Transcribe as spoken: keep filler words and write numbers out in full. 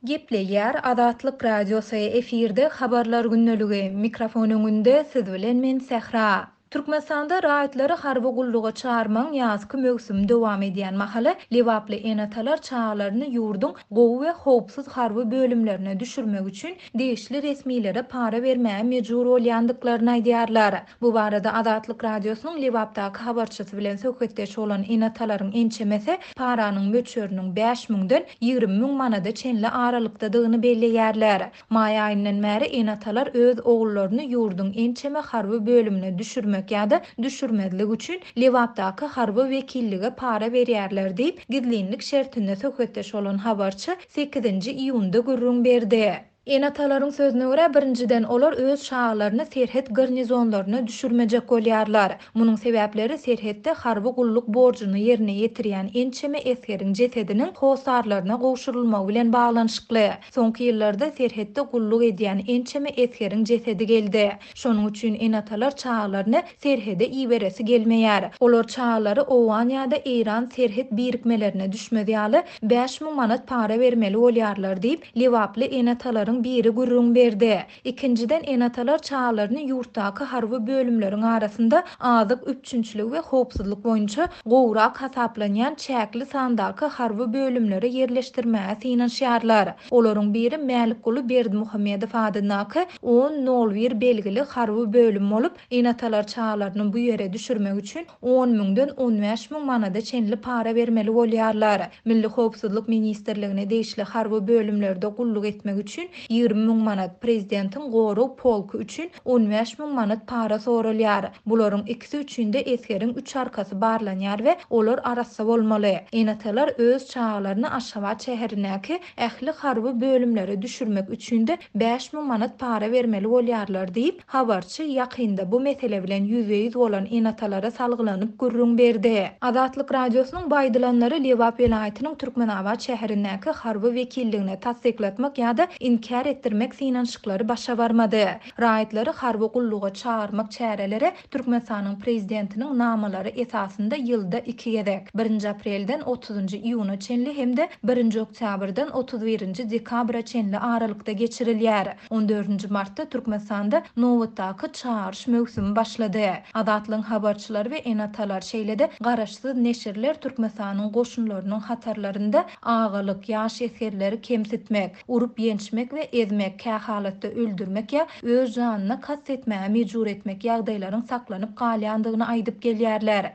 Gepleýär Azatlyk Radiosy, efirde Habarlar gündeligi, mikrofon öňünde siz bilen men Sähra. Türkmenistanda raýatlary harby gulluga çagyrmagyň ýazky möwsümi dowam edýän mahaly lebaply ene-atalar çagalaryny ýurduň gowy we howpsuz harby bölümlerine düşürmek üçin degişli resmilere para bermäge mejbur bolýandyklaryny aýdýarlar. Bu barada Azatlyk Radiosynyň Lebapdaky habarçysy bilen söhbetdeş bolan ene-atalaryň ençemesi paranyň möçberiniň bäş müňden ýigrimi müň manada çenli aralykdadygyny belleýärler. Maý aýyndan bäri ene-atalar öz ogullaryny ýurduň ençeme harby bölümine düşürmek ýa-da düşürmezlik üçin Lebapdaky harby wekillige para berýärler diýip, gizlinlik şertinde söhbetdeş bolan habarçy sekizinji iýunda gürrüň berdi. Ene-atalaryň sözüne görä, birinjiden, olar öz çagalaryny serhet garnizonlaryna düşürmejek bolýarlar. Munuň sebäpleri serhetde harby gulluk borjuny ýerine ýetirýän ençeme esgeriň jesediniň hossarlaryna gowşurylmagy bilen baglanyşykly. Soňky ýyllarda serhetde gulluk edýän ençeme esgeriň jesedi geldi. Şonuň üçin ene-atalar çagalaryny serhede iberesi gelmeýär. Olar çagalary owgan ýa-da eýran serhet birikmelerine düşmez ýaly bäş müň manat para bermeli bolýarlar diýip, lebaply ene-atalaryň biri gürrüň berdi. Ikinjiden, ene-atalar çagalaryny ýurtdaky harby bölümleriň arasynda azyk üpjünçiligi we howpsuzlyk boýunça gowrak hasaplanýan çäkli sandaky harby bölümlere ýerleşdirmäge synanyşýarlar. Olaryň biri Mälikguly Berdimuhamedow adyndaky on nol bir belgili harby bölüm bolup, ene-atalar çagalaryny bu ýere düşürmek üçin on müňden on bäş müň manada çenli para bermeli bolýarlar. Milli Howpsuzlyk ministrligine degişli harby bölümlerde gulluk etmek üçin ýigrimi müň manat, prezidentiň gorag polky üçin on bäş müň manat para soralýar. Bularyň ikisi üçin-de esgeriň üç arkasy barlanýar we olar arassa bolmaly. Ene-atalar öz çagalaryny Aşgabat şäherindäki ähli harby bölümlere düşürmek üçin-de bäş müň manat para bermeli bolýarlar diýip, habarçy ýakynda bu mesele bilen ýüzbe-ýüz bolan ene-atalara salgylanyp gürrüň berdi. Azatlyk Radiosynyň bu aýdylanlary Lebap welaýatynyň Türkmenabat şäherindäki harby wekilligine tassyklatmak ýa-da inkär etdirmek synanyşyklary başa barmady. Raýatlary harby gulluga çagyrmak çäreleri Türkmenistanyň prezidentiniň namalary esasynda ýylda iki gezek, birinji aprelden otuzynjy iýuna çenli hem-de birinji oktýabrdan otuz birinji dekabra çenli aralykda geçirilýär. On dördünji martda Türkmenistanda nobatdaky çagyryş möwsümi başlady. Azatlygyň habarçylary we ene-atalar, şeýle-de garaşsyz neşirler Türkmenistanyň goşunlarynyň hatarlarynda agalyk, ýaş esgerleri kemsitmek, urup ýençmek we ezmek, kähalatda öldürmek ýa öz janyna kast etmäge mejbur etmek ýagdaýlaryň saklanyp galýandygyny aýdyp gelýärler.